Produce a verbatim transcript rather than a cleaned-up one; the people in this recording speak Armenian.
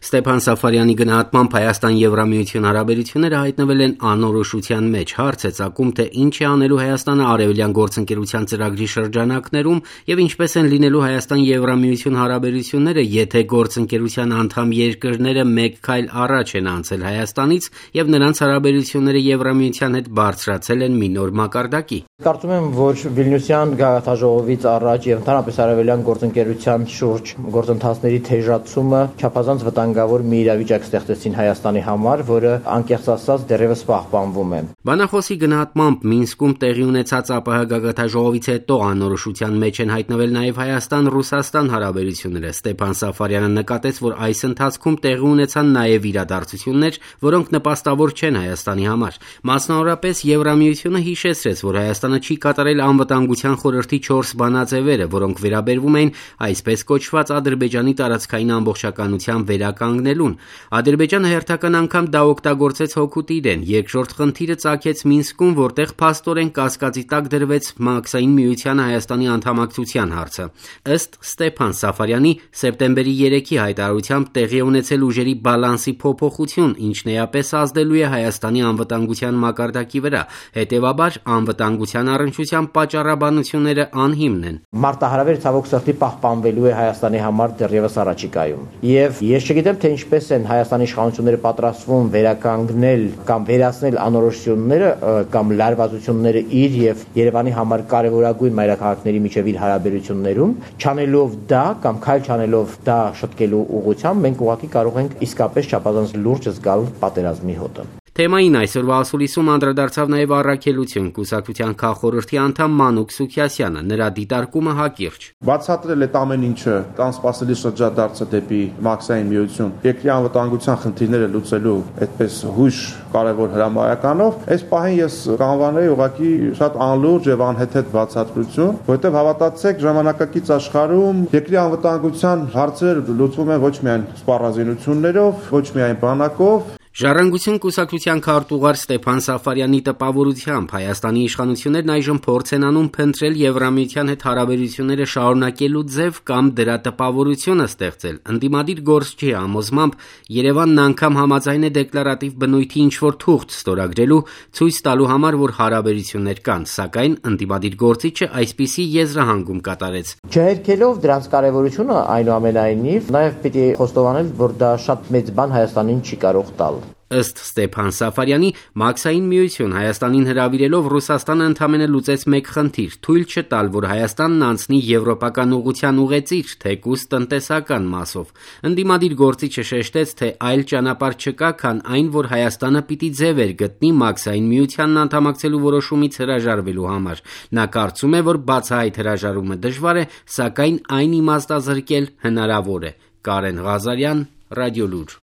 Ստեփան Սաֆարյանի գնահատմամբ Հայաստան-Եվրամիություն հարաբերությունները հայտնվել են անորոշության մեջ։ Հարց է ծագում, թե ինչ է անելու Հայաստանը արևելյան գործընկերության ծրագրի շրջանակներում եւ ինչպես են լինելու Հայաստան-Եվրամիություն հարաբերությունները, եթե գործընկերության անդամ երկրները մեկ քայլ առաջ են անցել Հայաստանից եւ նրանց հարաբերությունները Եվրամիության հետ բարձրացել են մի նոր մակարդակի։ Կարծում եմ, որ Վիլնյուսյան գաղափարաժողովից առաջ եւ ընդհանրապես արևելյան գործընկերության շուրջ գործընթացների թեժացումը չափազանց վտանգավոր մի իրավիճակ ստեղծեցին Հայաստանի համար, որը անկեղծ ասած դեռևս պահպանվում է։ Բանախոսի գնահատմամբ Մինսկում տեղի ունեցած ԱՊՀ գաղափարաժողովից հետո անորոշության մեջ են հայտնվել նաեւ Հայաստան-Ռուսաստան հարաբերությունները։ Ստեփան Սաֆարյանը նկատեց, որ այս ընթացքում տեղի ունեցան նաեւ իրադարձություններ, որոնք նպաստավոր չեն Հայաստանի համար։ Մասնավորապես Եվրամիությունը հիշեցրեց, որ Հայաստանը չի կատարել անվտանգության խորհրդի չորս բանաձևերը, որոնք վերաբերվում էին այսպես կոչված Ադրբեջանի տարածքային ամբողջականության վերականգնելուն։ Ադրբեջանը հերթական անգամ դա օգտագործեց հօգուտ իրեն։ Երկրորդ խնդիրը ծագեց Մինսկում, որտեղ փաստորեն կասկածի տակ դրվեց Մաքսային միությանը Հայաստանի անդամակցության հարցը։ Ըստ Ստեփան Սաֆարյանի սեպտեմբերի երեքի հայտարարությամբ տեղի ունեցել ուժերի բալանսի փոփոխություն, ինչն էապես ազդելու է Հայաստանի անվտանգության մակարդակի վրա։ Հետևաբար անվտանգության առնչությամբ պատճառաբանությունները անհիմն են։ Մարտահրավերը ցավոք սրտի պահպանվելու է Հայաստանի համար դեռևս առաջիկայում։ Եվ ես չգիտեմ, թե ինչպես են Հայաստանի իշխանությունները պատրաստվում վերականգնել կամ վերացնել անորոշությունները կամ լարվածությունները իր եւ Երևանի համար կարևորագույն մայրաքաղաքների միջև իր հարաբերություններում, չանելով դա կամ քայլ չանելով դա շտկելու ուղղությամբ մենք ուղղակի կարող ենք իսկապես չափազանց լուրջ զգալ պատերազմի հոտը։ Թեմային այսօրվա ասուլիսում անդրադարձավ նաև Առաքելություն կուսակցության քաղխորհրդի անդամ Մանուկ Սուքիասյանը, նրա դիտարկումը հակիրճ։ Բացատրել է ամեն ինչը, անսպասելի շրջադարձը դեպի Մաքսային միություն, երկրի անվտանգության խնդիրները լուծելու այդպես հույժ կարևոր հրամայականով, այս պահին ես կանվաների ուղղակի շատ անլուրջ եւ անհեթեթ բացատրություն, որովհետեւ հավատացեք, ժամանակակից աշխարհում երկրի անվտանգության հարցերը լուծվում են ոչ միայն սպառազինություններով, ոչ միայն բանակով։ Ժառանգություն կուսակցության քարտուղար Ստեփան Սաֆարյանի տպավորությամբ Հայաստանի իշխանություններն այժմ փորձ են անում փնտրել Եվրամիության հետ հարաբերությունները շարունակելու ձև կամ դրա տպավորությունը ստեղծել։ Ընդդիմադիր գործչի համոզմամբ Երևանն անգամ համաձայն է դեկլարատիվ բնույթի ինչ-որ թուղթ ստորագրելու, ցույց տալու համար, որ հարաբերություններ կան, սակայն ընդդիմադիր գործիչը այսպիսի եզրահանգում կատարեց։ Չհերքելով դրանց կարևորությունը, այնուամենայնիվ, նաև պիտի խոստովանել, որ դա շատ մեծ բան Հայաստանին չի կարող տալ։ Ըստ Ստեփան Սաֆարյանի, Մաքսային միություն Հայաստանին հրավիրելով Ռուսաստանը ընդամենը լուծեց մեկ խնդիր՝ թույլ չտալ, որ Հայաստանն անցնի եվրոպական ուղղության ուղեծիր, թեկուզ տնտեսական մասով։ Ընդդիմադիր գործիչը շեշտեց, թե այլ ճանապարհ չկա, քան այն, որ Հայաստանը պիտի ձևեր գտնի Մաքսային միությանն անդամակցելու որոշումից հրաժարվելու համար։ Նա կարծում է, որ բացահայտ հրաժարումը դժվար է, սակայն այն իմաստազրկել հնարավոր է։ Կարեն Ղազարյան, Ռադիոլուր։